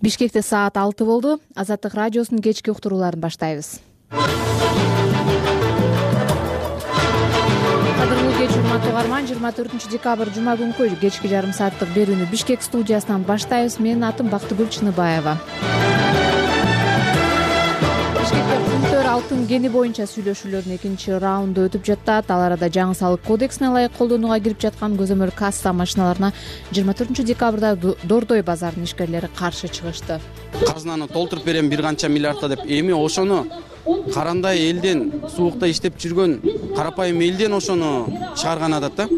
Бишкекте саат 6 болду. Азаттык радиосунун кечки уктурууларын баштайбыз. Кадырлуу кеч урматтуу угарман, 24 декабрь жума күнкү кечки жарым сааттык берүүнү Бишкек студиясынан баштайбыз. Менин атым Бактыгүл Чыныбаева. Бишкекте күнтөр алтын кени боюнча сүйлөшүүлөрдүн экинчи раунду өтүп жатат. Ал арада жаңы салык кодексине ылайык колдонууга кирип жаткан көзөмөл касса машиналарына 24 декабрда Дордой базарынын ишкерлери каршы чыгышты. Казынаны толтуруп берем бир канча миллиардта деп, эми ошону карандай элден, суукта иштеп жүргөн карапайым элден ошону чыгарган адат да.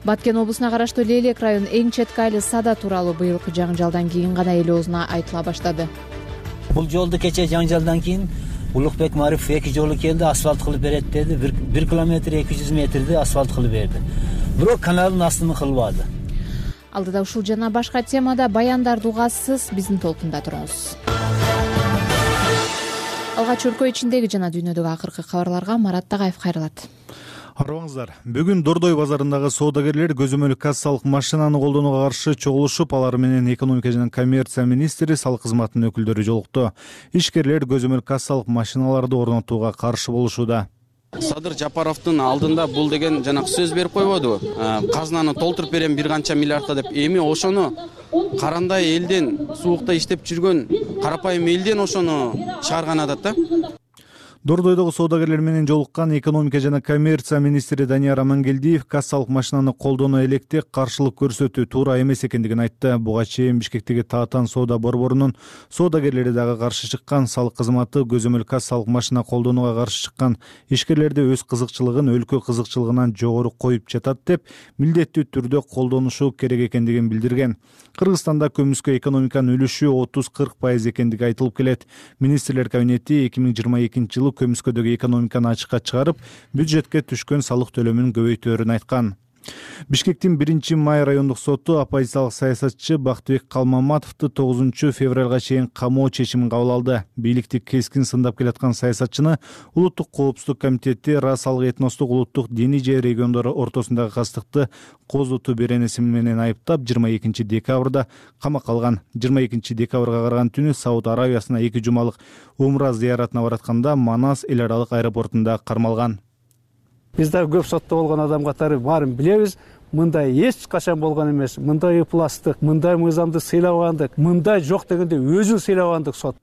Баткен облусуна караштуу Лейлек районунун эң четки айыл Сада тууралуу быйылкы жаңжалдан кийин гана эл оозуна айтыла баштады. Бул жолду кечээ жаңжалдан кийин Улукбек Марифов 2 жолу келди, асфальт кылып берет деди. 1 километр 200 метрди асфальт кылып берди. Бирок каналдын астын кылбады. Алдыда ушул жана башка темада баяндарды угасыз, биздин толкунда туруңуз. Алгач өлкө ичиндеги жана дүйнөдөгү акыркы кабарларга Марат Тагаев кайрылат. Арыбаңыздар. Бүгүн Дордой базарындагы соодагерлер көзөмөл кассалык машинаны колдонууга каршы чогулушуп, алар менен экономика жана коммерция министри, салык кызматынын өкүлдөрү жолукту. Ишкерлер көзөмөл кассалык машиналарды орнотууга каршы болушууда. Садыр Жапаровдун алдында бул деген жанакы сөз берип койбодубу? Казынаны толтуруп берем бир канча миллиардта деп, эми ошону карандай элден, суукта иштеп жүргөн карапайым элден ошону чыгарган адат да. Дордойдогу соодагерлер менен жолуккан экономика жана коммерция министри Данияр Амангелдиев кассалык машинаны колдонуу электе каршылык көрсөтүү туура эмес экендигин айтты. Буга чейин Бишкектеги Таатан соода борборунун соодагерлери дагы каршы чыккан. Салык кызматы көзөмөл кассалык машина колдонууга каршы чыккан ишкерлерди өз кызыкчылыгын өлкө кызыкчылыгынан жогору коюп жатат деп, милдеттүү түрдө колдонушу керек экендигин билдирген. Кыргызстанда көмүскө экономиканын үлүшү 30-40% экендиги айтылып келет. Министрлер кабинети 2022 жылы көмүскөдөгү экономиканы ачыкка чыгарып, бюджетке түшкөн салык төлөмүн көбөйтөөрүн айткан. Бишкектин 1-май райондук соту оппозициялык саясатчы Бактыбек Калмаматовду 9 февралга чейин камоо чечимин кабыл алды. Бийликти кескин сындап келаткан саясатчыны Улуттук коопсуздук комитети расалык этностук улуттук диний же региондор ортосундагы кастыкты козутуу беренеси менен айыптап 22 декабрда камакка алган. 22 декабрга караган түнү Сауд Аравиясына 2 жумалык умра зыяратына баратканда Манас эл аралык аэропортунда кармалган. Биз дагы көп сотто болгон адам катары баарын билебиз. Мындай эч качан болгон эмес. Мындай ыпластык, мындай мыйзамды сыйлабагандык, мындай жок дегенде өзүн сыйлабагандык сот.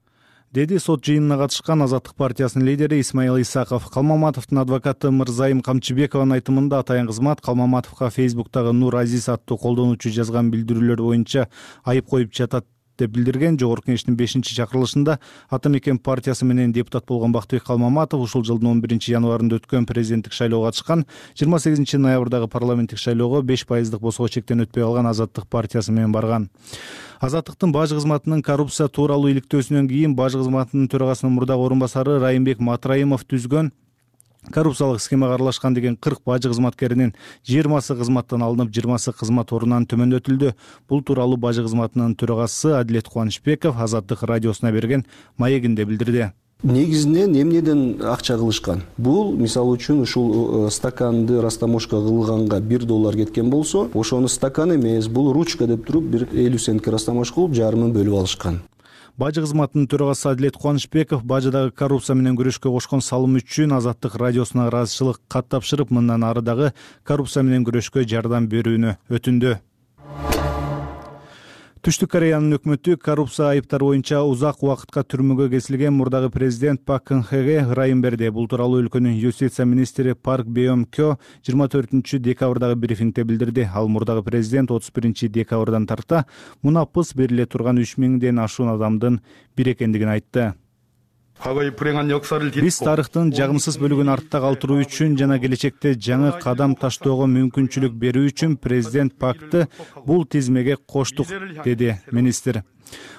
Деди сот жыйынына катышкан Азаттык партиясынын лидери Исмаил Исаков. Калмаматовдун адвокаты Мырзайым Камчыбекованын айтымында атайын кызмат Калмаматовго Фейсбуктагы Нур Азиз аттуу колдонуучу жазган билдирүүлөр боюнча айып коюп жатат деп билдирген. Жогорку кеңештин 5-чакырылышында Ата Мекен партиясы менен депутат болгон Бактыбек Калмаматов ушул жылдын 11 январында өткөн президенттик шайлоого катышкан. 28 ноябрдагы парламенттик шайлоого 5% босго чектен өтпөй алган Азаттык партиясы менен барган. Азаттыктын баж кызматынын коррупция тууралуу иликтөөсүнөн кийин баж кызматынын төрагасынын мурдагы орун басары Райымбек Матраимов түзгөн коррупциялык схемага аралашкан деген 40 бажы кызматкеринин 20сы кызматтан алынып, 20сы кызмат ордунан төмөндөтүлдү. Бул тууралуу бажы кызматынын төрагасы Адилет Кубанычбеков Азаттык радиосуна берген маегинде билдирди. Негизинен эмнеден акча кылышкан? Бул мисалы үчүн ушул стаканды растаможка кылганга $1 кеткен болсо, ошону стакан эмес, бул ручка деп туруп бир 50 центке растамош кылып жарымын бөлүп алышкан. Бажы кызматынын төрагасы Адилет Кубанычбеков бажыдагы коррупция менен күрөшкө кошкон салым үчүн Азаттык радиосуна ыраазычылык кат тапшырып, мындан ары дагы коррупция менен күрөшкө жардам берүүнү өтүндү. Түштүк Кореянын өкмөтү коррупция айыптары боюнча узак убакытка түрмөгө кесилген мурдагы президент Пак Кын Хеге ырайым берди. Бул тууралуу өлкөнүн юстиция министри Парк Беом Кё 24 декабрдагы брифингде билдирди. Ал мурдагы президент 31 декабрдан тарта мунапыс бериле турган 3000ден ашуун адамдын бири экендигин айтты. Биз тарыхтын жагымсыз бөлүгүн артта калтыруу үчүн жана келечекте жаңы кадам таштоого мүмкүнчүлүк берүү үчүн президент Пакты бул тизмеге коштук, деди министр.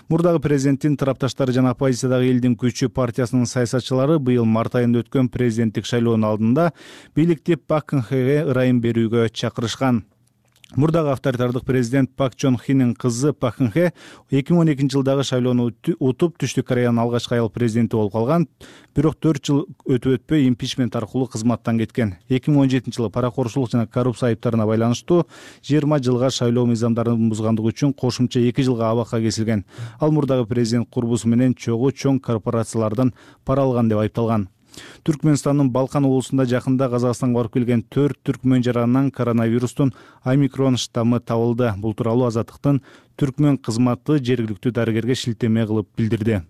Мурдагы президенттин тарапташтары жана оппозициядагы элдин күчү партиясынын саясатчылары быйыл март айында өткөн президенттик шайлоонун алдында бийликти Пак Кын Хеге ырайым берүүгө чакырышкан. Мурдагы авторитардык президент Пак Чон Хинин кызы Пак Кын Хе 2012 жылдагы шайлоону утуп Түштүк Кореянын алгачкы аял президенти болуп калган. Бирок 4 жыл өтүп импичмент аркылуу кызматтан кеткен. 2017 жылы паракорчулук жана коррупция айыптарына байланыштуу 20 жылга шайлоо мыйзамдарын бузгандыгы үчүн кошумча 2 жылга абакка кесилген. Ал мурдагы президент курбусу менен чоң корпорациялардан пара алган деп айыпталган. Түркмөнстандын Балкан облусунда жакында Казакстанга барып келген 4 түркмөн жаранынан коронавирустун омикрон штаммы табылды. Бул тууралуу Азаттыктын түркмөн кызматы жергиликтүү дарыгерге шилтеме кылып билдирди.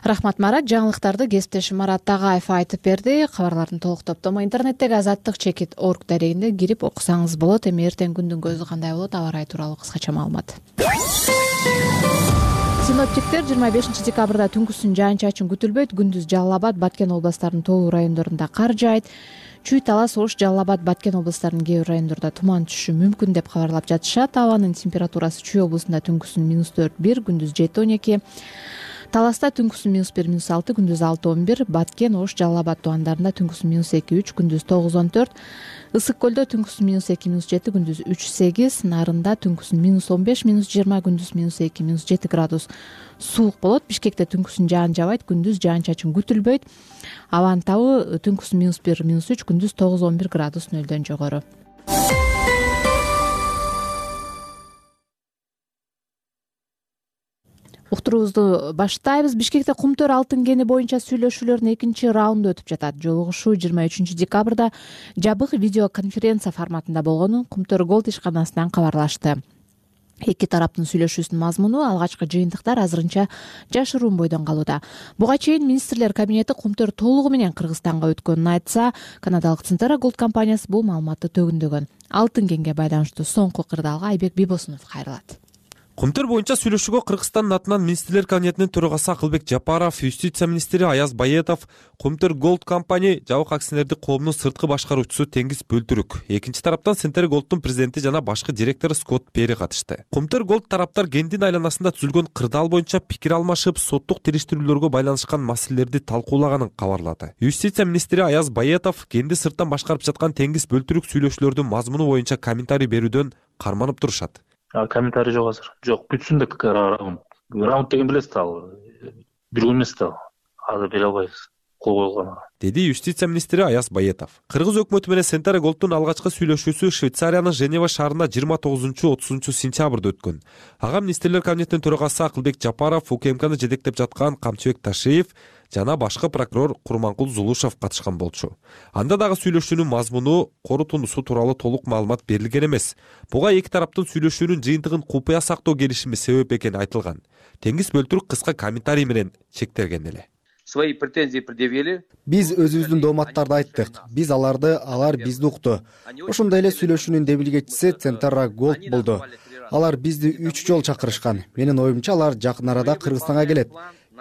Рахмат Марат. Жаңылыктарды кесиптешим Марат Тагаев айтып берди. Кабарлардын толук топтому интернеттеги azattik.org дарегинде кирип окусаңыз болот. Эми эртең күндүн көзү кандай болот? Аба ырайы тууралуу кыскача маалымат. Синоптиктер 25 декабрда түнкүсүн жаан-чачын күтүлбөйт. Күндүз Жалал Абад, Баткен областарынын тоолуу райондорунда кар жаайт. Чүй, Талас, Ош, Жалал Абад, Баткен областарынын кээ бир райондорунда туман түшүшү мүмкүн деп кабарлап жатышат. Абанын температурасы Чүй облусунда түнкүсүн -4-1, күндүз 7-12. Таласта түнкүсүн -1, -6, күндүз 6-11, Баткен, Ош, Жалал Абад тубандарында түнкүсүн -2-3, күндүз 9-14, Ысык көлдө түнкүсүн -2, -7, күндүз 3-8, Нарында түнкүсүн -15, -20, күндүз -2, -7 градус суук болот. Бишкекте түнкүсүн жаан жабайт, күндүз жаан-чачын күтүлбөйт. Абанын табы түнкүсүн -1, -3, күндүз 9-11 градус нөлдөн жогору. Уктуруубузду баштайбыз. Бишкекте Кумтөр алтын кени боюнча сүйлөшүүлөрдүн экинчи раунду өтүп жатат. Жолугушуу 23 декабрда жабык видеоконференция форматында болгонун Кумтөр Голд ишканасынан кабарлашты. Эки тараптын сүйлөшүүсүнүн мазмуну алгачкы жыйынтыктар азырынча жашыруун бойдон калууда. Буга чейин министрлер кабинети Кумтөр толугу менен Кыргызстанга өткөнүн айтса, канадалык Centera Gold компаниясы бул маалыматты төгүндөгөн. Алтын кенге байланыштуу соңку кырдаалга Айбек Бибосунов кайрылат. Кумтөр боюнча сүйлөшүүгө Кыргызстандын атынан министрлер кабинетинин төрагасы Акылбек Жапаров, юстиция министри Аяз Байетов, Кумтөр Голд компания жабык акционердик коомунун сырткы башкаруучусу Теңиз Бөлтүрүк, экинчи тараптан Centera Gold'дун президенти жана башкы директору Скотт Пери катышты. Кумтөр Голд тараптар кендин айланасында түзүлгөн кырдаал боюнча пикир алмашып, соттук териштирүүлөргө байланышкан маселелерди талкуулаганын кабарлады. Юстиция министри Аяз Байетов кенди сырттан башкарып жаткан Теңиз Бөлтүрүк сүйлөшүүлөрдүн мазмуну боюнча комментарий берүүдөн карманып турушат. Комментарий жок азыр. Жок, бүтсүн деп раунд деген билесиз ал. Бир күн эмес да. Азыр бере албайбыз. Кол койгон. Деди юстиция министри Аяз Байетов. Кыргыз өкмөтү менен Centera Gold'дун алгачкы сүйлөшүүсү Швейцариянын Женева шаарында 29-30 сентябрда өткөн. Ага министрлер кабинетинин төрагасы Акылбек Жапаров, УКМКны жетектеп жаткан Камчыбек Ташиев жана башкы прокурор Курманкул Зулушев катышкан болчу. Анда дагы сүйлөшүүнүн мазмуну, корутундусу тууралуу толук маалымат берилген эмес. Буга эки тараптын сүйлөшүүнүн жыйынтыгын купуя сактоо келишими себеп экени айтылган. Теңиз Бөлтүрүк кыска комментарий менен чектелген эле. Свои претензии предъявили. Биз өзүбүздүн дооматтарды айттык. Биз аларды, алар бизди укту. Ошондой эле сүйлөшүүнүн демилгечиси Centera Gold болду. Алар бизди 3 жолу чакырышкан. Менин оюмча алар жакын арада Кыргызстанга келет.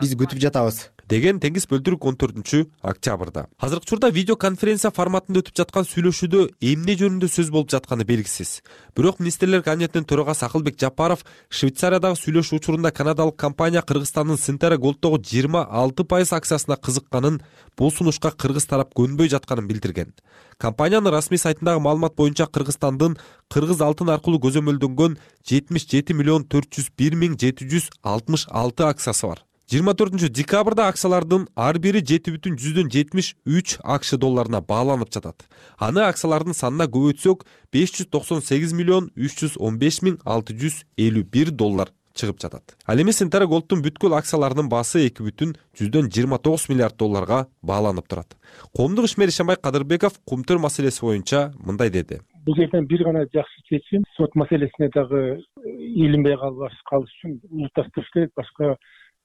Биз күтүп жатабыз, деген Теңиз Бөлтүрүк 14-октябрда. Азыркы учурда видеоконференция форматында өтүп жаткан сүйлөшүүдө эмне жөнүндө сөз болуп жатканы белгисиз. Бирок министрлер кабинетинин төрагасы Акылбек Жапаров Швейцариядагы сүйлөшүү учурунда канадалык компания Кыргызстандын Centera Gold'догу 26% акциясына кызыкканын, бул сунушка кыргыз тарап көнбөй жатканын билдирген. Компаниянын расмий сайтындагы маалымат боюнча Кыргызстандын кыргыз алтын аркылуу көзөмөлдөнгөн 77,401,766 акциясы бар. 24 декабрда акциялардын ар бири 7,73 АКШ долларына бааланып жатат. Аны акциялардын санына көбөйтсөк 598,315,651 доллар чыгып жатат. Ал эми Centera Gold'дун бүткүл акцияларынын баасы 2,29 миллиард долларга бааланып турат. Коомдук ишмер Ишенбай Кадырбеков Кумтөр маселеси боюнча мындай деди. Бул жерден бир гана жакшы чечим, сот маселесине дагы илинбей калыш үчүн улутташтырыш керек. Башка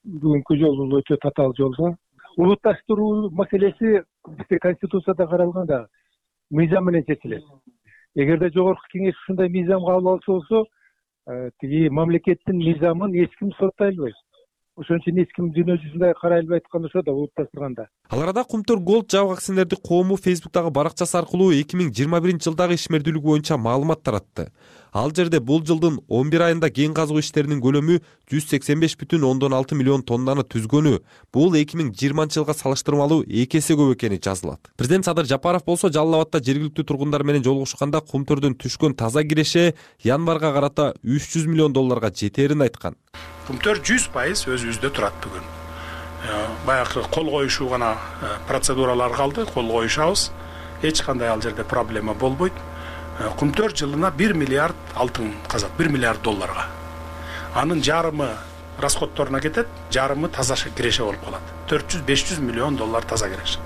бүгүнкү жол бул өтө татаал жол. Улутташтыруу маселеси бизде конституцияда каралган да мыйзам менен чечилет. Эгерде жогорку кеңеш ушундай мыйзам кабыл алса болсо, тиги мамлекеттин мыйзамын эч ким соттой албайт. ошон үчүн эч ким дүйнө жүзүндө карай албай аткан ошо да улутташтырганда. Ал арада Кумтөр Голд жабык акционердик коому Facebook'тагы баракчасы аркылуу 2021-жылдагы ишмердүүлүк боюнча маалымат таратты. Ал жерде бул жылдын 11 айында кен казуу иштеринин көлөмү 185,6 миллион тоннаны түзгөнү, бул 2020-жылга салыштырмалуу 2 эсе көп экени жазылат. Президент Садыр Жапаров болсо Жалал Абадта жергиликтүү тургундар менен жолугушканда Кумтөрдөн түшкөн таза киреше январга карата $300 миллион жетерин айткан. Кумтөр 100% өзүбүздө турат бүгүн. Баягы кол коюшуу гана процедуралар калды, кол коюшабыз. Эч кандай ал жерде проблема болбойт. Кумтөр жылына 1 миллиард алтын казат, 1 миллиард долларга. Анын жарымы расходторуна кетет, жарымы таза киреше болуп калат. 400-500 миллион доллар таза киреше.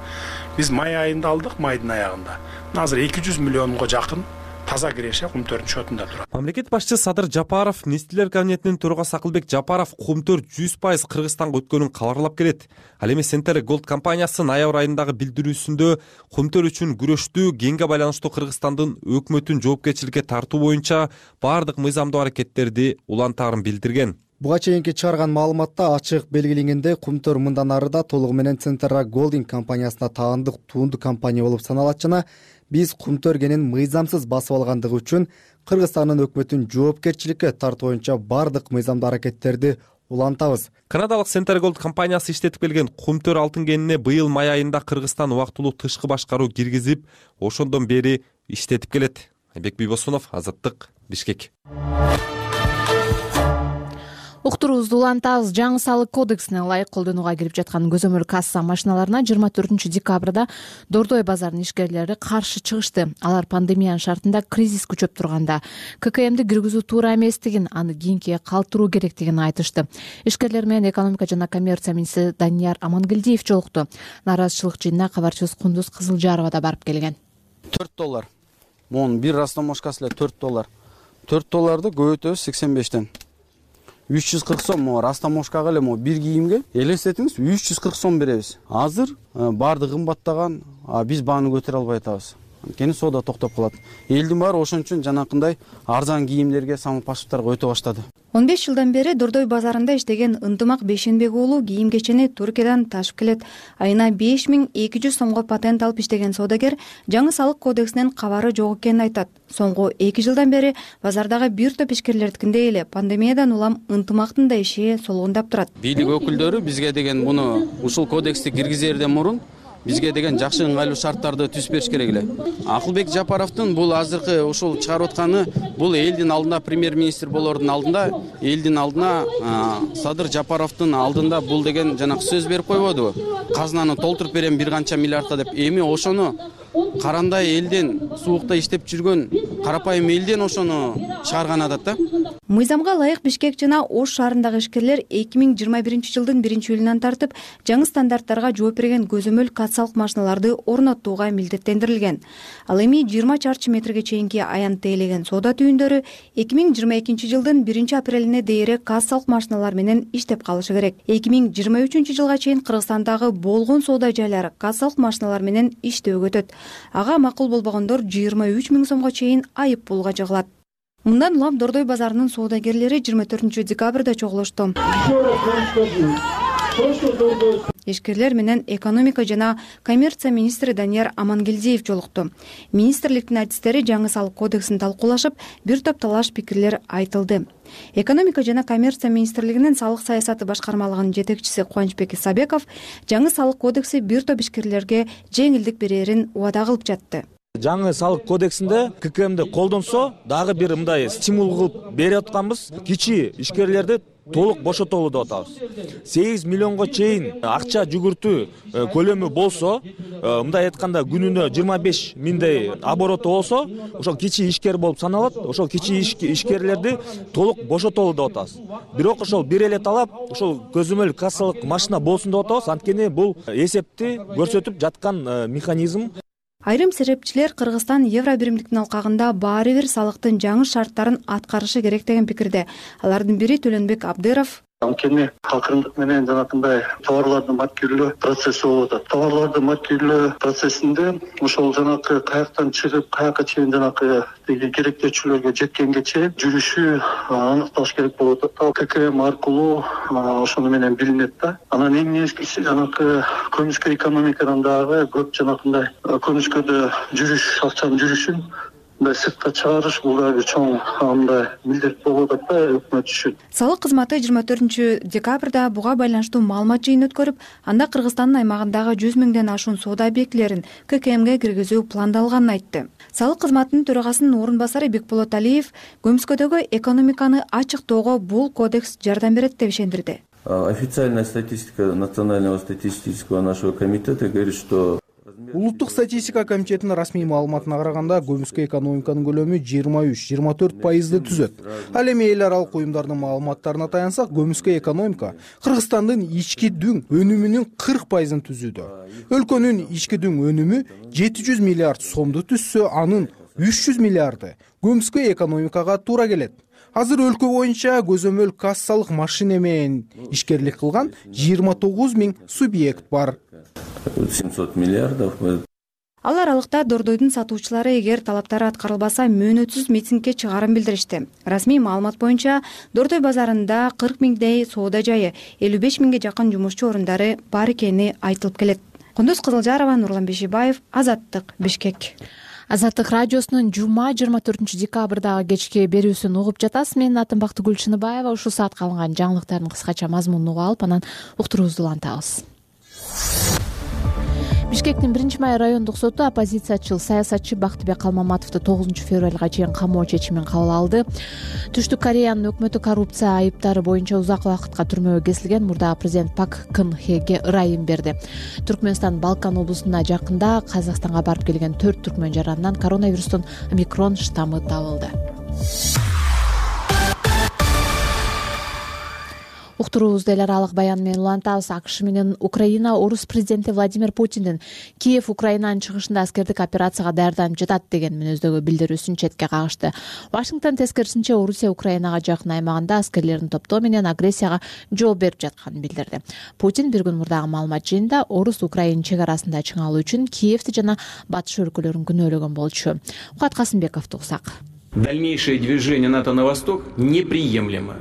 Биз май айында алдык, майдын аягында. Азыр 200 миллионго жакын таза киреше Кумтөрдүн шотунда турат. Мамлекет башчысы Садыр Жапаров, Министрлер кабинетинин төрагасы Акылбек Жапаров Кумтөр 100% Кыргызстанга өткөнүн кабарлап келет. Ал эми Center Gold компаниясы ноябрь айындагы билдирүүсүндө Кумтөр үчүн күрөштүү кенге байланыштуу Кыргызстандын өкмөтүн жоопкерчиликке тартуу боюнча бардык мыйзамдуу аракеттерди улантаарын билдирген. Буга чейинки чыгарган маалыматта ачык белгиленгендей, Кумтөр мындан ары да толугу менен Center Gold компаниясына таандык туунду компания болуп саналат жана биз Кумтөр кенин мыйзамсыз басып алгандыгы үчүн Кыргызстандын өкмөтүн жоопкерчиликке тартуу боюнча бардык мыйзамдуу аракеттерди улантабыз. Канадалык Center Gold компаниясы иштетип келген Кумтөр алтын кенине быйыл май айында Кыргызстан убактылуу тышкы башкаруу киргизип, ошондон бери иштетип келет. Айбек Бийбосунов, Азаттык, Бишкек. Уктуруубузду улантабыз. Жаңы салык кодексине ылайык колдонууга кирип жаткан көзөмөл касса машиналарына 24-декабрда Дордой базарынын ишкерлери каршы чыгышты. Алар пандемиянын шартында кризис күчөп турганда ККМди киргизүү туура эместигин, аны кийинкиге калтыруу керектигин айтышты. Ишкерлер менен экономика жана коммерция министри Данияр Амангелдиев жолукту. Нааразычылык жыйынына кабарчыбыз Кундуз Кызылжарова да барып келген. $4. Монун бир растамошкасы эле $4. $4 көбөйтөбүз 85тен. 340 сом растамошкага эле бир кийимге элестетиңиз 340 сом беребиз. Азыр баардыгы кымбаттаган, биз бааны көтөрө албай атабыз. Анткени соода токтоп калат. Элдин баары ошон үчүн жанакындай арзан кийимдерге, самопаспорттарга өтө баштады. 15 жылдан бери Дордой базарында иштеген Ынтымак Бейшенбек уулу кийим кечени Туркиядан ташып келет. Айына 5200 сомго патент алып иштеген соодагер жаңы салык кодексинен кабары жок экенин айтат. Соңку 2 жылдан бери базардагы бир топ ишкерлердикиндей эле пандемиядан улам Ынтымактын да иши солгундап турат. Бийлик өкүлдөрү бизге деген буну ушул кодексти киргизерден мурун бизге деген жакшы ыңгайлуу шарттарды түзүп бериш керек эле. Акылбек Жапаровдун бул азыркы ушул чыгарып атканы бул элдин алдында, премьер-министр болордун алдында, элдин алдына Садыр Жапаровдун алдында бул деген жанагы сөз берип койбодубу? Казнаны толтуруп берем бир канча миллиардта деп. Эми ошону карандай элден, суукта иштеп жүргөн карапайым элден ошону чыгарган адат да. Мыйзамга ылайык Бишкек жана Ош шаарындагы ишкерлер 2021-жылдын 1-июлунан тартып жаңы стандарттарга жооп берген көзөмөл кассалык машиналарды орнотууга милдеттендирилген. Ал эми 20 чарчы метрге чейинки аянт тейлеген соода түйүндөрү 2022-жылдын 1-апрелине дейре кассалык машиналар менен иштеп калышы керек. 2023-жылга чейин Кыргызстандагы болгон соода жайлары кассалык машиналар менен иштөөгө өтөт. Ага макул болбогондор 23 000 сомго чейин айып пулга жыгылат. Мындан улам Дордой базарынын соодагерлери 24-декабрда чогулушту. Ишкерлер менен экономика жана коммерция министри Данияр Амангелдиев жолукту. Министрликтин адистери жаңы салык кодексин талкуулашып, бир топ талаш пикирлер айтылды. Экономика жана коммерция министрлигинин салык саясаты башкармалыгынын жетекчиси Кубанычбек Исабеков жаңы салык кодекси бир топ ишкерлерге жеңилдик берерин убада кылып жатты. Жаңы салык кодексинде ККМди колдонсо, дагы бир мындай стимул кылып берип атканбыз. Кичи ишкерлерди толук бошотолу деп атабыз. 8 миллионго чейин акча жүгүртүү көлөмү болсо, мындай айтканда күнүнө 25 000дей обороту болсо, ошол кичи ишкер болуп саналат. Ошол кичи ишкерлерди толук бошотолу деп атабыз. Бирок ошол бир эле талап, ошол көзөмөл кассалык машина болсун деп атабыз. Анткени бул эсепти көрсөтүп жаткан механизм. Айрым серепчилер Кыргызстан евро биримдиктин алкагында баары бир салыктын жаңы шарттарын аткарышы керек деген пикирде. Алардын бири Төлөнбек Абдыров. Анткени акырындык менен жанакындай товарларды маркирлөө процесси болуп атат. Товарларды маркирлөө процессинде ошол жанакы каяктан чыгып каяка чейин жанакы керектөөчүлөргө жеткенге чейин жүрүшү аныкталыш керек болуп атат. Ал ККМ аркылуу ошону менен билинет да. Анан эң негизгиси жанакы көмүскө экономикадан дагы көп жанакындай көмүскөдө жүрүш, акчанын жүрүшүн сыртка чыгарыш бул дагы чоң мындай милдет болуп атат да өкмөт үчүн. Салык кызматы 24 декабрда буга байланыштуу маалымат жыйын өткөрүп, анда Кыргызстандын аймагындагы 100 миңден ашуун соода объектилерин ККМге киргизүү пландалганын айтты. Салык кызматынын төрагасынын орун басары Бекболот Алиев көмүскөдөгү экономиканы ачыктоого бул кодекс жардам берет деп ишендирди. Официальная статистика Национального статистического нашего комитета говорит, что Улуттук статистика комитетинин расмий маалыматына караганда көмүскө экономиканын көлөмү 23-24% түзөт. Ал эми эл аралык уюмдардын маалыматтарына таянсак, көмүскө экономика Кыргызстандын ички дүң өнүмүнүн 40% түзүүдө. Өлкөнүн ички дүң өнүмү 700 миллиард сомду түзсө, анын 300 миллиарды көмүскө экономикага туура келет. Азыр өлкө боюнча көзөмөл кассалык машина менен ишкерлик кылган 29 миң субъект бар. 700 миллиардов. Ал аралыкта Дордойдун сатуучулары эгер талаптары аткарылбаса мөөнөтсүз митингге чыгарын билдиришти. Расмий маалымат боюнча Дордой базарында 40 миңдей соода жайы, 55 миңге жакын жумушчу орундары бар экени айтылып келет. Кундуз Кызылжарова, Нурлан Бешибаев, Азаттык, Бишкек. Азаттык радиосунун жума 24 декабрдагы кечки берүүсүн угуп жатасыз. Менин атым Бактыгүл Чыныбаева. Ушул саатка алынган жаңылыктардын кыскача мазмунун угуп алып, анан уктуруубузду улантабыз. Бишкектин 1-май райондук соту оппозициячыл саясатчы Бактыбек Калмаматовду 9 февралга чейин камоо чечимин кабыл алды. Түштүк Кореянын өкмөтү коррупция айыптары боюнча узак убакытка түрмөгө кесилген мурдагы президент Пак Кын Хеге ырайым берди. Түркмөнстан Балкан облусуна жакында Казакстанга барып келген 4 түркмөн жаранынан коронавирустун омикрон штаммы табылды. Уктуруубузду эл аралык баян менен улантабыз. АКШ менен Украина орус президенти Владимир Путиндин Киев Украинанын чыгышында аскердик операцияга даярданып жатат деген мүнөздөгү билдирүүсүн четке кагышты. Вашингтон тескерисинче Орусия Украинага жакын аймагында аскерлерин топтоо менен агрессияга жооп берип жатканын билдирди. Путин бир күн мурдагы маалымат жыйында Орус-Украин чек арасында чыңалуу үчүн Киевти жана батыш өлкөлөрүн күнөөлөгөн болчу. Куат Касымбековду уксак. Дальнейшее движение НАТО на восток неприемлемо.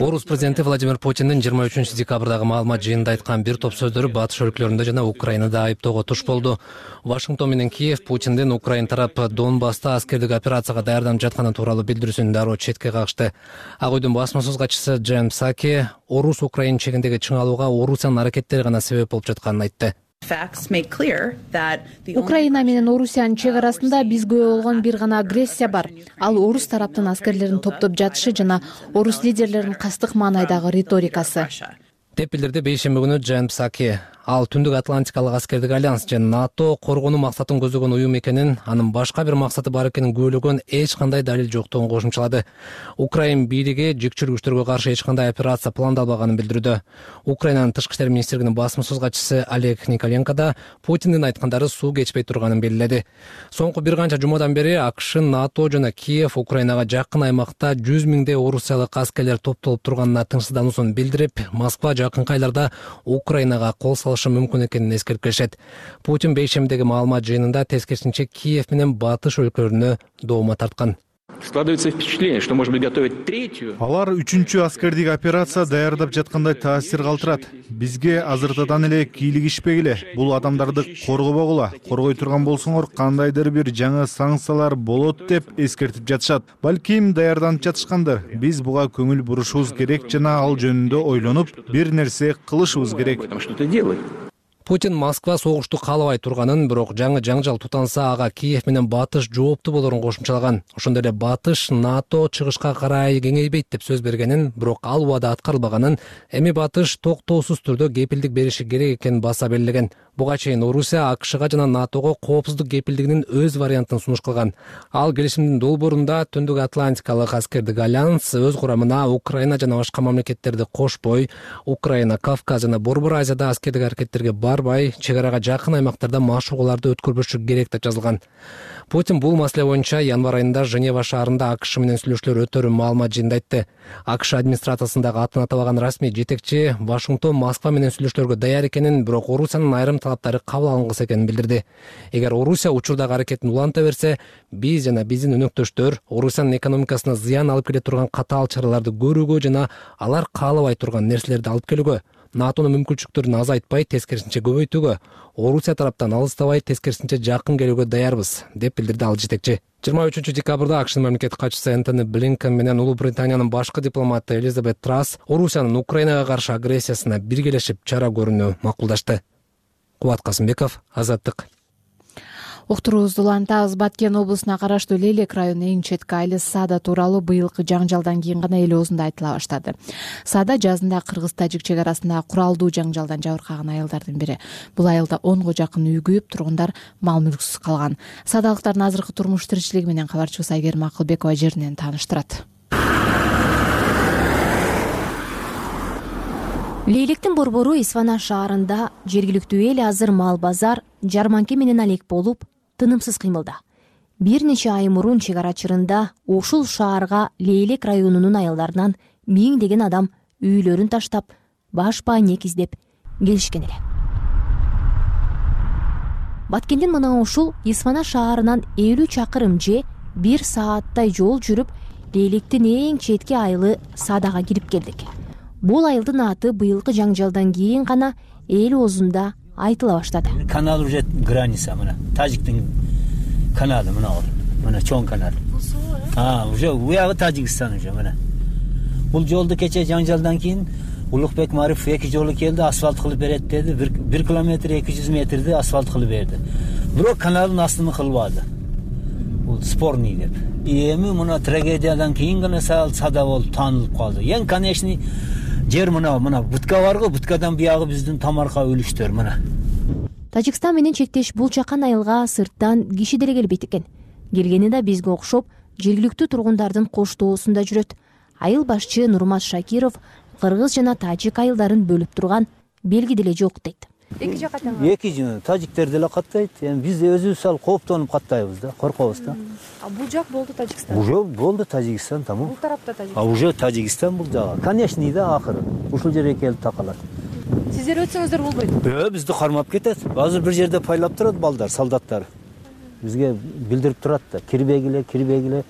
Орус президенти Владимир Путиндин 23 декабрдагы маалымат жыйынында айткан бир топ сөздөрү батыш өлкөлөрүндө жана Украинада айыптоого туш болду. Вашингтон менен Киев Путиндин Украин тарап Донбасста аскердик операцияга даярданып жатканы тууралуу билдирүүсүн дароо четке кагышты. Ак үйдүн басма сөз катчысы Джейм Псаки Орус-Украин чегиндеги чыңалууга Орусиянын аракеттери гана себеп болуп жатканын айтты. Украина менен Орусиянын чек арасында бизге болгон бир гана агрессия бар. Ал орус тараптын аскерлерин топтоп жатышы жана орус лидерлеринин кастык маанайдагы риторикасы деп билдирди бейшемби күнү Джейм Псаки. Ал Түндүк Атлантикалык аскердик альянс жана НАТО коргонуу максатын көзөгөн уюм экенин, анын башка бир максаты бар экенин күбөлөгөн эч кандай далил жоктугун кошумчалады. Украин бийлиги жикчүр күчтөргө каршы эч кандай операция пландалбаганын билдирүүдө. Украинанын тышкы иштер министрлигинин басма сөз катчысы Олег Николенко да Путиндин айткандары суу кечпей турганын белгиледи. Соңку бир канча жумадан бери АКШ, НАТО жана Киев Украинага жакын аймакта 100 миңдей орусиялык аскерлер топтолуп турганына тынчсыздануусун билдирип, Москва жакынкы айларда Украинага кол салышы мүмкүн экенин эскертип келишет. Путин бейшемдеги маалымат жыйынында тескерисинче Киев менен батыш өлкөлөрүнө доoma тарткан. Складывается впечатление, что, может быть, готовят третью. Алар үчүнчү аскердик операция даярдап жаткандай таасир калтырат. Бизге азыртадан эле кийлигишпегиле. Бул адамдарды коргобогула. Коргой турган болсоңор кандайдыр бир жаңы санкциялар болот деп эскертип жатышат. Балким даярданып жатышкандыр. Биз буга көңүл бурушубуз керек жана ал жөнүндө ойлонуп, бир нерсе кылышыбыз керек. Путин Москва согушту каалабай турганын, бирок жаңы жаңжал тутанса ага Киев менен батыш жоопту болорун кошумчалаган. Ошондой эле батыш НАТО чыгышка карай кеңейбейт деп сөз бергенин, бирок ал убада аткарылбаганын, эми батыш токтоосуз түрдө кепилдик бериши керек экенин баса белгилеген. Буга чейин Орусия АКШга жана НАТОго коопсуздук кепилдигинин өз вариантын сунуш кылган. Ал келишимдин долбоорунда Түндүк Атлантикалык аскердик альянс өз курамына Украина жана башка мамлекеттерди кошпой, Украина, Кавказ жана Борбор Азияда аскердик аракеттерге барбай, чек арага жакын аймактарда машыгууларды өткөрбөшү керек деп жазылган. Путин бул маселе боюнча январь айында Женева шаарында АКШ менен сүйлөшүүлөр өтөрүн маалымат жыйында айтты. АКШ администрациясындагы атын атабаган расмий жетекчи Вашингтон Москва менен сүйлөшүүлөргө даяр экенин, бирок Орусиянын айрым талаптары кабыл алынгысы экенин билдирди. Эгер Орусия учурдагы аракетин уланта берсе, биз жана биздин өнөктөштөр Орусиянын экономикасына зыян алып келе турган катаал чараларды көрүүгө жана алар каалабай турган нерселерди алып келүүгө, НАТОнун мүмкүнчүлүктөрүн азайтпай, тескерисинче көбөйтүүгө, Орусия тараптан алыстабай, тескерисинче жакын келүүгө даярбыз, деп билдирди ал жетекчи. 23 декабрда АКШнын мамлекеттик катчысы Энтони Блинкен менен Улуу Британиянын башкы дипломаты Элизабет Трасс Орусиянын Украинага каршы агрессиясына биргелешип чара көрүүнү макулдашты. Кубат Касымбеков, Азаттык. Уктуруубузду улантабыз. Баткен облусуна караштуу Лелек районунун эң четки айылы Сада тууралуу быйылкы жаңжалдан кийин гана эл оозунда айтыла баштады. Сада жазында кыргыз-тажик чек арасында куралдуу жаңжалдан жабыркаган айылдардын бири. Бул айылда 10го жакын үй күйүп, тургундар мал мүлксүз калган. Садалыктардын азыркы турмуш тиричилиги менен кабарчыбыз Айгерим Акылбекова жеринен тааныштырат. Лейлектин борбору Исфана шаарында жергиликтүү эл азыр мал базар, жарманке менен алек болуп, тынымсыз кыймылда. Бир нече ай мурун чек ара чырында ушул шаарга Лейлек районунун айылдарынан миңдеген адам үйлөрүн таштап, баш пайнек издеп келишкен эле. Баткенден мына ушул Исфана шаарынан 50 чакырым же 1 сааттай жол жүрүп, Лейлектин эң четки айылы Садага кирип келдик. Бул айылдын аты быйылкы жаңжалдан кийин гана эл оозунда айтыла баштады. Канал уже граница, мына Тажиктин каналы мына ол. Мына чоң канал. Уже уягы Тажикстан уже мына. Бул жолду кече жаңжалдан кийин Улукбек Марифов 2 жолу келди, асфальт кылып берет деди. 1 километр 200 метрди асфальт кылып берди. Бирок каналдын астын кылбады. Бул спорный деп. Эми мына трагедиядан кийин гана Сада болуп таанылып калды. Эң конечный жер мына бутка барго, буткадан биягы биздин тамарка өлүштөр мына. Тажикстан менен чектеш бул жакан айылга сырттан киши деле келбейт экен. Келгени да бизге окшоп, жергиликтүү тургундардын коштоосунда жүрөт. Айыл башчы Нурмат Шакиров кыргыз жана тажик айылдарын бөлүп турган белги деле жок дейт. Эки жака тажиктер деле каттайт. Эми биз өзүбүз ал кооптонуп каттайбыз да, коркобуз да. Бул жак болду Тажикстан. Уже болду Тажикстан, тамам. Бул тарапта Тажикстан. Уже Тажикстан бул жагы. Конечный да акыры. Ушул жерге келип такалат. Сиздер өтсөңүздөр болбойт. Бизди кармап кетет. Азыр бир жерде пайлап турат балдар, солдаттар. Бизге билдирип турат да, кирбегиле.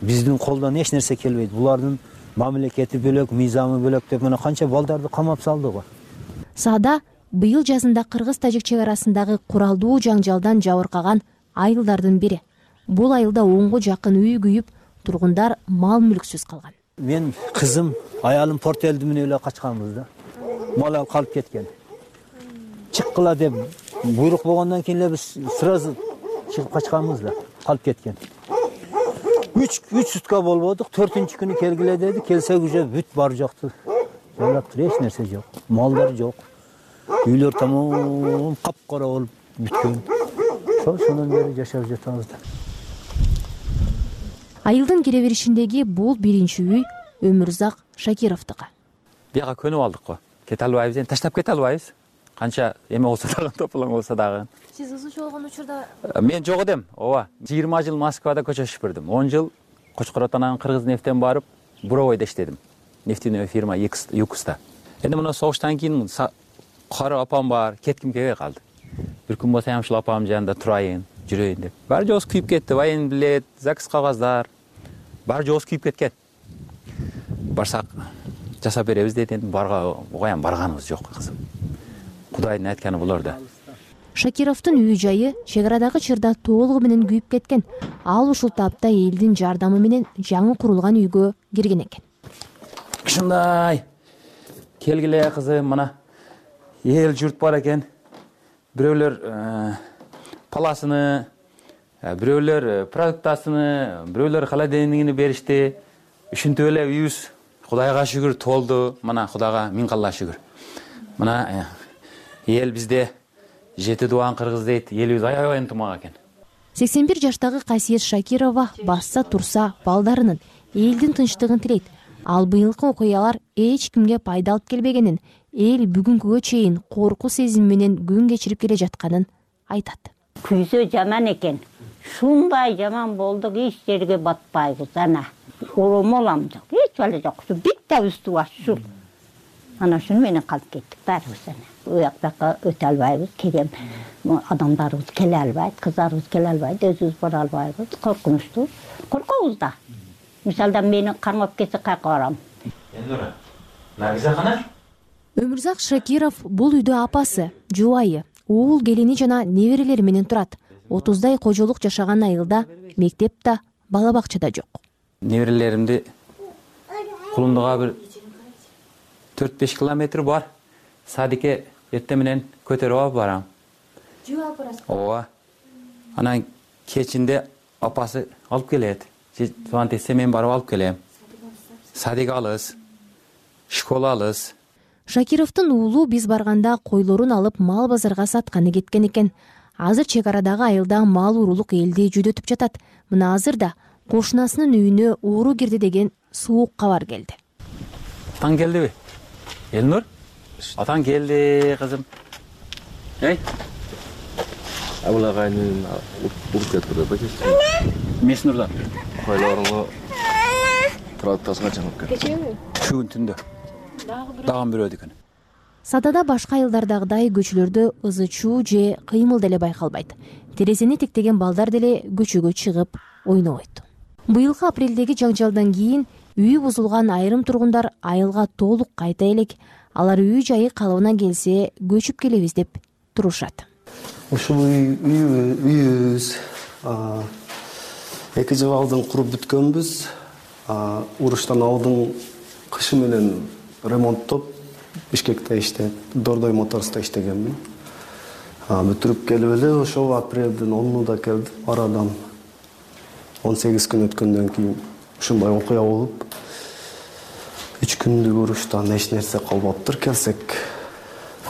Биздин колдон эч нерсе келбейт. Булардын мамлекети бөлөк, мыйзамы бөлөк деп мына канча балдарды камап салды го. Сада быйыл жазында кыргыз-тажик чек арасындагы куралдуу жаңжалдан жабыркаган айылдардын бири. Бул айылда 10го жакын үй күйүп, тургундар мал мүлксүз калган. Мен кызым, аялым Порт-Элди менен эле качканбыз да. Мал калып кеткен. Чыккыла деп буйрук болгондон кийин эле биз сразу чыгып качканбыз да, калып кеткен. 3 сутка болбодук, 4-күнү келгиле деди. Келсек уже бүт бар жокту. Жайлап тур, эч нерсе жок. Малдар жок. Үйлөр тамам капкара болуп бүткөн. Ошондон бери жашап жатабыз да. Айылдын кире беришиндеги бул биринчи үй Өмүрзак Шакировдуку. Бияга көнүп алдык го. Кете албайбыз, эми таштап кете албайбыз. Канча эме болсо дагы, тополоң болсо дагы. Сиз ызычы болгон учурда мен жок эдем. Ооба. 20 жыл Москвада көчө шүпүрдүм. 10 жыл Кочкоротанан Кыргыз нефтен барып, буровойдо иштедим. Нефтяной фирма Юкуста. Эми мына согуштан кийин кары апам бар, кетким келбей калды. Бир күн болсо ушул апам жанында турайын, жүрөйүн деп. Баары жоос күйүп кетти. Воен билет, ЗАГС кагаздар. Баары жоос күйүп кеткен. Барсак жасап беребиз деди. Буга барганыбыз жок кызым. Кудайдын айтканы булар да. Шакировдун үй жайы чек арадагы чырда толугу менен күйүп кеткен. Ал ушул тапта элдин жардамы менен жаңы курулган үйгө кирген экен. Ушундай келгиле кызым, мына эл журт бар экен. Бирөөлөр паласыны, бирөөлөр продуктасыны, бирөөлөр холодильнигини беришти. Ушинтип эле үйүбүз Кудайга шүгүр толду. Мына Кудайга миң калла шүгүр. Мына эл бизде жети дубан кыргыз дейт, элибиз аябай ынтымак экен. 81 жаштагы Касиет Шакирова басса турса балдарынын, элдин тынчтыгын тилейт. Ал быйылкы окуялар эч кимге пайда алып келбегенин, эл бүгүнкүгө чейин корку сезим менен күн кечирип келе жатканын айтат. Күзө жаман экен. Шундай жаман болдук, эч жерге батпайбыз. Ана оромолам жок, эч бала жок. Битте үстү башчу. Ана шуну менен калып кеттик баарыбыз. У жактакка өтө албайбыз. Кегем адамдарыбыз келе албайт, кыздарыбыз келе албайт, өзүбүз бара албайбыз. Коркунучтуу. Коркобуз да. Мисалда мени кармап кетсе кайка барам. Эндора, Наргиза канар? Өмүрзак Шакиров бул үйдө апасы, жубайы, уул келини жана неберелери менен турат. 30дай кожолук жашаган айылда мектеп да, бала бакча да жок. Неберелеримди Кулумдуга бир 4-5 километр бар. Садикке эртең менен көтөрүп алып барам. Жөө алып барасыз? Ооба. Анан кечинде апасы алып келет. Звонок этсе мен барып алып келем. Садик алыс, школа алыс. Шакировдун уулу биз барганда койлорун алып мал базарга сатканы кеткен экен. Азыр чек арадагы айылда мал уурулук элди жүдөтүп жатат. Мына азыр да кошунасынын үйүнө ууру кирди деген суук кабар келди. Атаң келдиби? Элнур? Атаң келди, кызым. Эй. Абылагайнын уруп кетти да. Меснурдан. Койлорунга трактасына чыгып кетти. Кечеби? Бүгүн түндө. Дагы бирөө экен. Садада башка айылдардагыдай көчөлөрдө ызы-чуу же кыймыл деле байкалбайт. Терезени тектеген балдар деле көчөгө чыгып ойнобойт. Быйылкы апрелдеги жаңжалдан кийин үйү бузулган айрым тургундар айылга толук кайта элек. Алар үй жайы калыбына келсе көчүп келебиз деп турушат. Ушул үйүбүз 2 жыл алдын куруп бүткөнбүз. Уруштан алдын кышы менен ремонттоп Бишкекте иштеп, Дордой Моторс'та иштегенмин. Бүтүрүп келип эле ошол апрелдин 10-унда келдим. Арадан 18 күн өткөндөн кийин ушундай окуя болуп, 3 күндүк уруштан эч нерсе калбаптыр келсек.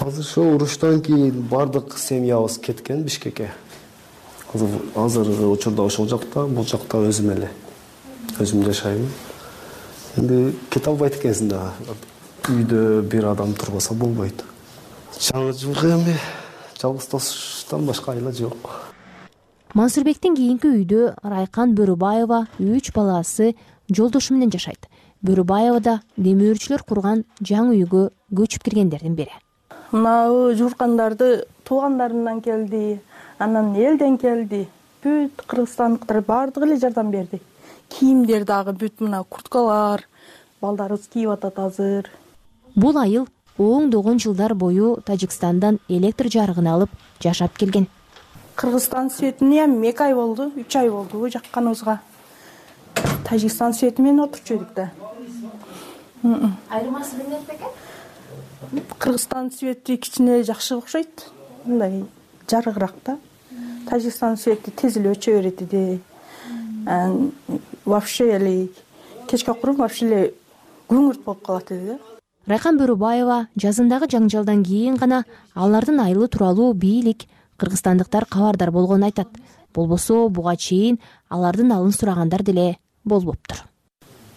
Азыр ошол уруштан кийин бардык семьябыз кеткен Бишкекке. Азыр учурда ошол жакта, бул жакта өзүм эле. Өзүм жашайм. Энди кете албайт экенсиң да. Үйдө бир адам турбаса болбойт. Жаңы жылга эми жалгыз тосуштан башка айла жок. Мансурбектин кийинки үйдө Райкан Бөрүбаева 3 баласы жолдошу менен жашайт. Бөрүбаева да демөөрчүлөр курган жаңы үйгө көчүп киргендердин бири. Мына журкандарды туугандарынан келди, анан элден келди. Бүт кыргызстандыктар бардыгы эле жардам берди. Кийимдер дагы бүт мына курткалар, балдарыбыз кийип атат азыр. Бул айыл оңдогон жылдар бою Тажикстандан электр жарыгын алып жашап келген. Кыргызстан светине 2 ай болду, 3 ай болду жакканыбызга. Тажикстан свети менен отурчу эдик да. Айырмасы эмне экен? Кыргызстан свети кичине жакшы окшойт. Мындай жарыгыраак да. Тажикстан свети тез эле өчө берет эди. Вообще эле кечке куруп вообще эле көңүрт болуп калат эди да. Райкан Бөрүбаева жазындагы жаңжалдан кийин гана алардын айылы тууралуу бийлик кыргызстандыктар кабардар болгонун айтат. Болбосо буга чейин алардын алын сурагандар деле болбоптур.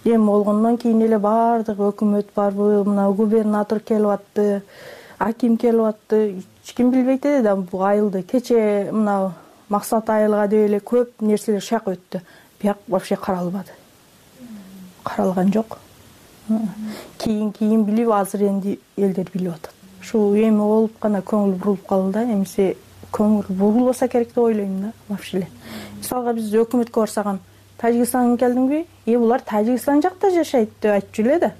Эми болгондон кийин эле бардык өкмөт барбы, мына губернатор келип атты, аким келип атты. Эч ким билбейт эди да бул айылды. Кече мына Максат айылга деп эле көп нерселер шак өттү. Бияк вообще каралбады. Каралган жок. Кийин билип, азыр энди элдер билип атат. Ушул эми болуп гана көңүл бурулуп калды да. Эмесе көңүл бурулбаса керек деп ойлойм да, вообще эле. Мисалга биз өкмөткө барсак, Тажикстанга келдиңби? Булар Тажикстан жакта жашайт деп айтчу эле да.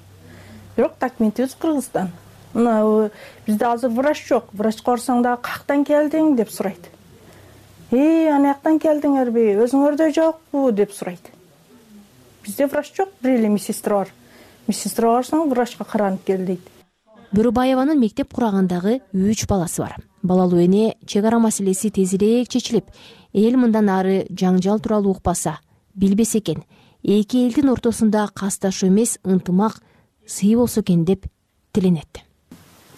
Бирок документибиз Кыргызстан. Мына бизде азыр врач жок. Врачка барсаң да каяктан келдиң деп сурайт. Анаяктан келдиңерби? Өзүңөрдө жокпу деп сурайт. Бизде врач жок, бир эле медсестра бар. Медсестра барсаң врачка каранып кел дейт. Бөрүбаеванын мектеп курагандагы 3 баласы бар. Балалуу эне чек ара маселеси тезирээк чечилип, эл мындан ары жаңжал тууралуу укпаса, билбесе экен, эки элдин ортосунда касташуу эмес, ынтымак, сый болсо экен деп тиленет.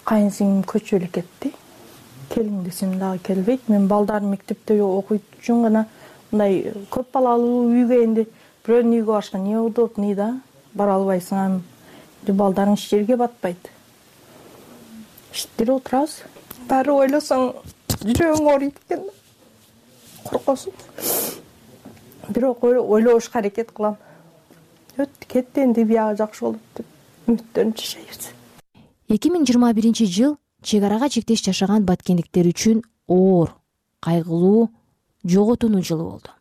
Кайынсиңим көчүп эле кетти. келиң десем дагы келбейт. Мен балдарым мектепте окуйт үчүн гана мындай көп балалуу үйгө энди бирөөнүн үйгө барышка не удобный да, бара албайсың. Балдарың эч жерге батпайт. Иштеп отурабыз. Баары ойлосоң жүрөгүң ооруйт экен. Коркосуң. Бирок ойлошко аракет кылам. Өттү кетти, энди биягы жакшы болот деп үмүттөнүп жашайбыз. 2021 чек арага чектеш жашаган баткендиктер үчүн оор, кайгылуу, жоготууну жылы болду.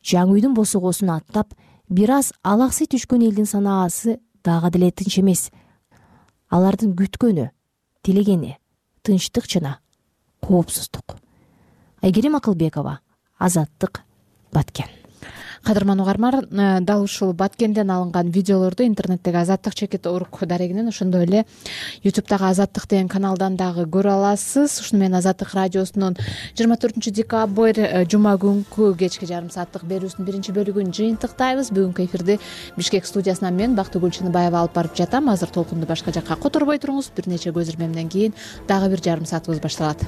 Жаңы үйдүн босогосун аттап, бир аз алаксый түшкөн элдин санаасы дагы деле тынч эмес. Алардын күткөнү, тилегени тынчтык жана коопсуздук. Айгерим Акылбекова, Азаттык, Баткен. Кадырман угарман, дал ушул Баткенден алынган видеолорду интернеттеги Азаттык чекит орг дарегинен, ошондой эле YouTube'дагы Азаттык деген каналдан дагы көрө аласыз. Ушуну менен Азаттык радиосунун 24 декабрь жума күнкү кечки жарым сааттык берүүсүнүн биринчи бөлүгүн жыйынтыктайбыз. Бүгүнкү эфирди Бишкек студиясынан мен Бактыгүл Чыныбаева алып барып жатам. Азыр толкунду башка жакка которбой туруңуз. Бир нече көз ирмемден кийин дагы бир жарым саатыбыз башталат.